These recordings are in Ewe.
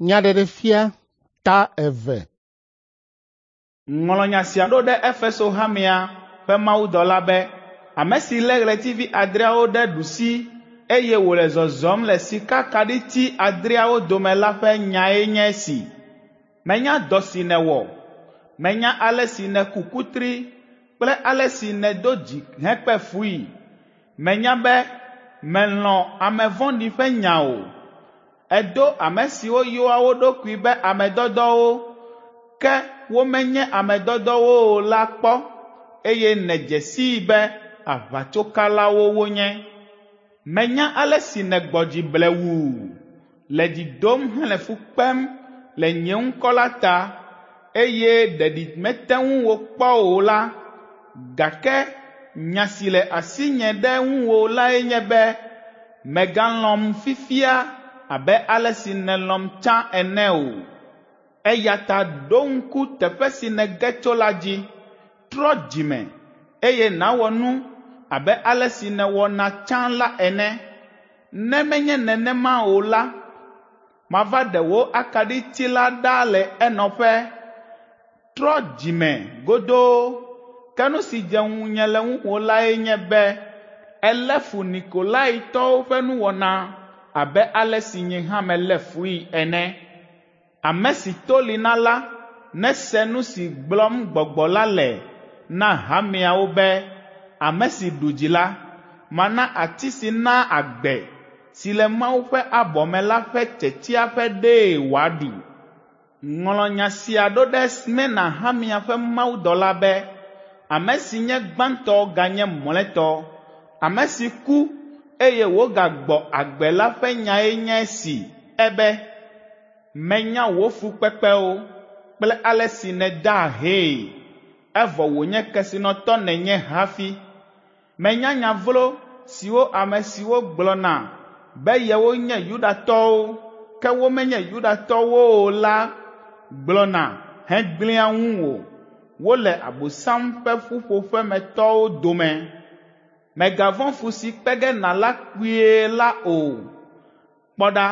Nyaɖeɖefia ta eve. Ŋlɔ nya sia ɖo ɖe Efeso hamea ƒe mawudɔla be, ame si lé ɣletivi adreawo ɖe ɖusi eye wòle zɔzɔm le sikakaɖiti adreawo dome la ƒe nyae nye esi. Menya dɔ si nèwɔ. Menya ale si nèku kutri kple ale si nèdo dzi hekpe fui. Menya be mèlɔ̃ ame vɔ̃ɖi ƒe nya o. Èdo ame siwo yɔa wo ɖokui be ame dɔdɔwo, ke womenye ame dɔdɔwo o la kpɔ eye nèdze sii be aʋatsokalawo wonye. Menya ale si nègbɔ dzi blewuu, le dzi dom hele fu kpem le nye ŋkɔ la ta eye ɖeɖi mete ŋuwò kpɔ o la, gake nya si le asinye ɖe ŋuwò lae nye be mègalɔ̃m fifia abe ale si nèlɔ̃m tsã ene o. Eya ta ɖo ŋku teƒe si nège tso la dzi, trɔ dzi me, eye nàwɔ nu abe ale si nèwɔna tsã la ene. Ne menye nenema o la, mava ɖe wò akaɖiti la ɖa le enɔƒe. Trɔ dzi me godoo. Ke nu si dze ŋunye le ŋuwò lae nye be èlé fu Nikolaitɔwo ƒe nuwɔna abe ale si nye hã melé fui ene. Ame si to li na la nese nu si gblɔm Gbɔgbɔ la le na hameawo be, ame si ɖu dzi la, mana ati si naa agbe, si le Mawu ƒe abɔ me la ƒe tsetsea ƒe ɖee wòaɖu. Ŋlɔ nya sia ɖo ɖe Smirna hamea ƒe mawudɔla be, ame si nye gbãtɔ ganye mlɔetɔ, ame si ku eye wògagbɔ agbe la ƒe nyae nye esi ebe, menya wò fukpekpewo kple ale si nèda ahee, evɔ wònye kesinɔtɔ nènye hafi. Menya nya vlo siwo ame siwo gblɔna be yewonye Yudatɔwo, ke womenye Yudatɔwo o la gblɔna hegblẽa ŋuwò. Wole Abosam ƒe ƒuƒoƒemetɔwo dome. Mègavɔ̃ fu si kpe ge nàla kpuie la o. Kpɔ ɖa,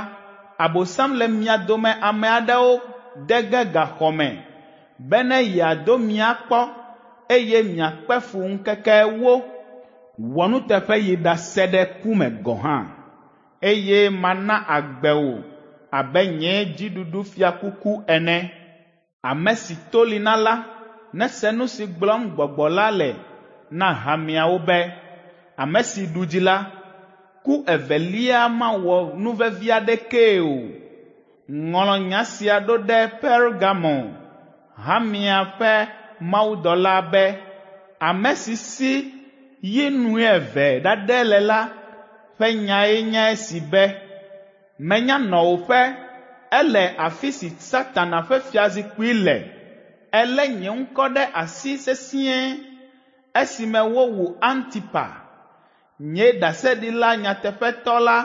Abosam le mia dome ame aɖewo de ge gaxɔ me bene yeado mi akpɔ eye miakpe fu ŋkeke ewo. Wɔ nuteƒe yi ɖase ɖe ku me gɔ̃ hã, eye mana agbe wò abe nye dziɖuɖufiakuku ene. Ame si to li na la nese nu si gblɔm Gbɔgbɔ la le na hameawo be, ame si ɖu dzi la, ku evelia mawɔ nuvevi aɖekee o. Ŋlɔ nya sia ɖo ɖe Pergamo hamea ƒe mawudɔla be, ame si si yi nueve ɖaɖɛ le la ƒe nyae nye esi be, menya nɔwòƒe, ele afi si Satana ƒe fiazikpui le. Èlé nye ŋkɔ ɖe asi sesĩe esime wowu Antipa, nye ɖaseɖila nyateƒetɔ la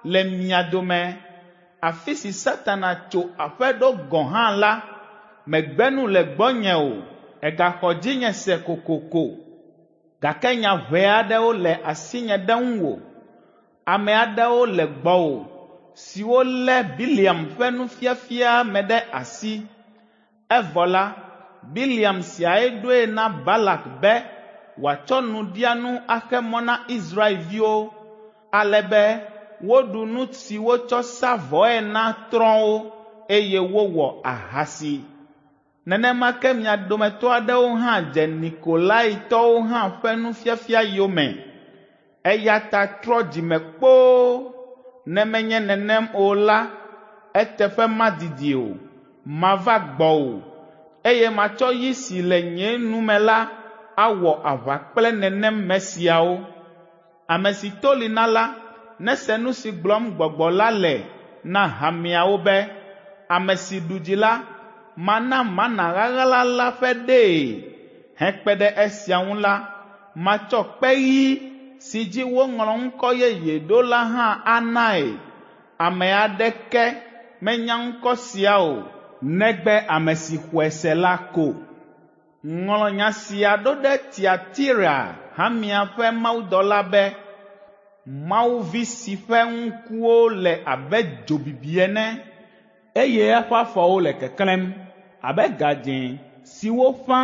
le mia dome. Afi si Satana tso aƒe ɖo gɔ̃ hã la, mègbe nu le gbɔnye o, ègaxɔ dzinye se kokoko. Gake nya ʋɛ aɖewo le asinye ɖe ŋuwò. Ame aɖewo le gbɔwò siwo lé Bileam ƒe nufiafia me ɖe asi. Evɔ la, Bileam siae ɖoe na Balak be wòatsɔ nuɖianu axe mɔ na Israelviwo ale be woɖu nu si wotsɔ sa vɔe na trɔ̃wo eye wowɔ ahasi. Nenema ke mia dometɔ aɖewo hã dze Nikolaitɔwo hã ƒe nufiafia yome. Eya ta trɔ dzime kpoo, ne menye nenem o la, eteƒe madidi o, mava gbɔwò, eye matsɔ yi si le nye nu me la awɔ aʋa kple nenem me siawo. Ame si to li na la nese nu si gblɔm Gbɔgbɔ la le na hameawo be, ame si ɖu dzi la, mana mana ɣaɣla la ƒe ɖee. Hekpe ɖe esia ŋu la, matsɔ kpe ɣi si dzi woŋlɔ ŋkɔ yeye ɖo la hã anae. Ame aɖeke menya ŋkɔ sia o, negbe ame si xɔe se la ko. Ŋlɔ nya sia ɖo ɖe Tiatira hamea ƒe mawudɔla be, Mawu vi si ƒe ŋkuwo le abe dzo bibi ene, eye eƒe afɔwo le keklẽm abe gadzẽ si woƒã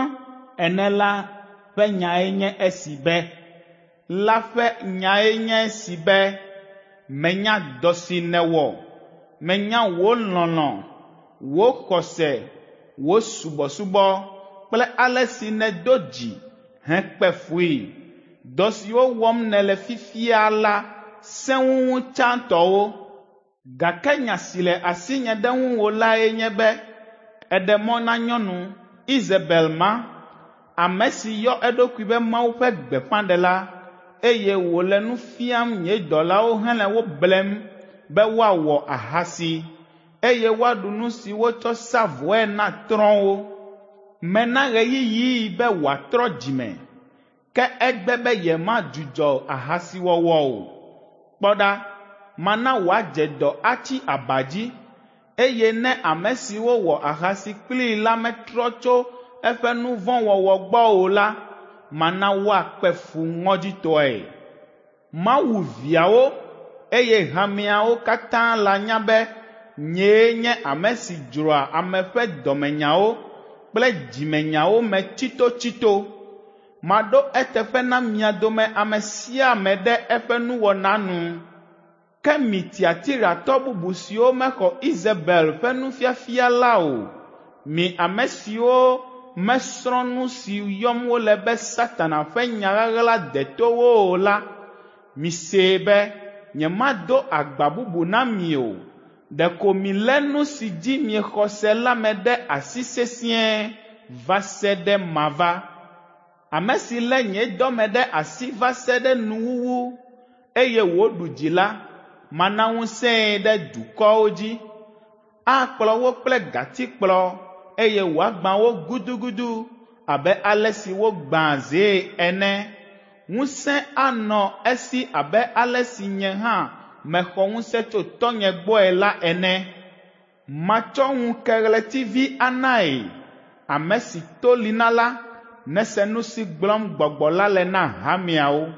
ene la ƒe nyae nye esi be la ƒe nyae nye esi be, menya dɔ si nèwɔ, menya wò lɔlɔ̃, wò xɔse, wò subɔsubɔ kple ale si nèdo dzi hekpe fui. Dɔ siwo wɔm nèle fifia la sẽ wu tsãtɔwo. Gake nya si le asinye ɖe ŋuwò lae nye be èɖe mɔ na nyɔnu, Izebel ma, ame si yɔ eɖokui be Mawu ƒe gbeƒãɖela, eye wòle nu fiam nye dɔlawo hele wo blem be woawɔ ahasi, eye woaɖu nu si wotsɔ sa vɔe na trɔ̃wo. Mena ɣeyiɣii be wòatrɔ dzime, ke egbe be yemadzudzɔ ahasiwɔwɔ o. Kpɔ ɖa, mana wòadze dɔ atsi aba dzi, eye ne ame siwo wɔ ahasi kplii la metrɔ tso eƒe nu vɔ̃ wɔwɔ gbɔ o la, mana woakpe fu ŋɔdzitɔe. Mawu viawo, eye hameawo katã lanya be nyee nye ame si dzroa ame ƒe dɔmenyawo kple dzimenyawo me tsitotsito. Maɖo eteƒe na mia dome ame sia ame ɖe eƒe nuwɔna nu. Ke mi Tiatiratɔ bubu siwo mexɔ Izebel ƒe nufiafia la o, mi ame siwo mesrɔ̃ nu si yɔm wole be Satana ƒe nya ɣaɣla detowo o la, misee be nyemado agba bubu na mi o. Ɖeko milé nu si dzi miexɔ se la me ɖe asi sesĩe va se ɖe mava. Ame si lé nye dɔme ɖe asi va se ɖe nuwuwu, eye wòɖu dzi la, mana ŋusẽe ɖe dukɔwo dzi. Akplɔ wo kple gatikplɔ, eye wòagbã wo gudugudu abe ale si wogbãa zee ene. Ŋusẽ anɔ esi abe ale si nye hã mexɔ ŋusẽ tso Tɔ́nye gbɔe la ene. Matsɔ ŋukeɣletivi anae. Ame si to li na la, nese nu si gblɔm Gbɔgbɔ la le na hameawo.